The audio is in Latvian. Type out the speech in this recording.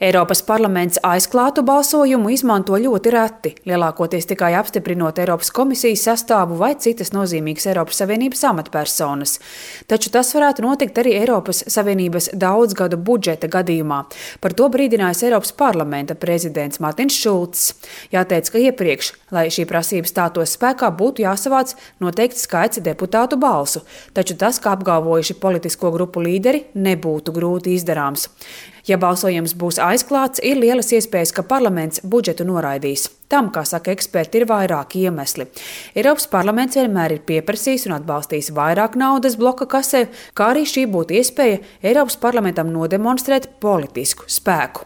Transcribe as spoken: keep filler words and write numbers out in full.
Eiropas parlaments aizklātu balsojumu izmanto ļoti reti, lielākoties tikai apstiprinot Eiropas komisijas sastāvu vai citas nozīmīgas Eiropas Savienības amatpersonas. Taču tas varētu notikt arī Eiropas Savienības daudzgadu budžeta gadījumā. Par to brīdinājis Eiropas parlamenta prezidents Mārtiņš Šulcs. Jāteic, ka iepriekš, lai šī prasība stātos spēkā, būtu jāsavāc noteikts skaits deputātu balsu, taču tas, kā apgalvojuši politisko grupu līderi, nebūtu grūti izdarāms. Ja balsojums būs aizklāts, ir lielas iespējas, ka parlaments budžetu noraidīs. Tam, kā saka eksperti, ir vairāki iemesli. Eiropas parlaments vienmēr ir pieprasījis un atbalstījis vairāk naudas bloka kasē, kā arī šī būtu iespēja Eiropas parlamentam nodemonstrēt politisku spēku.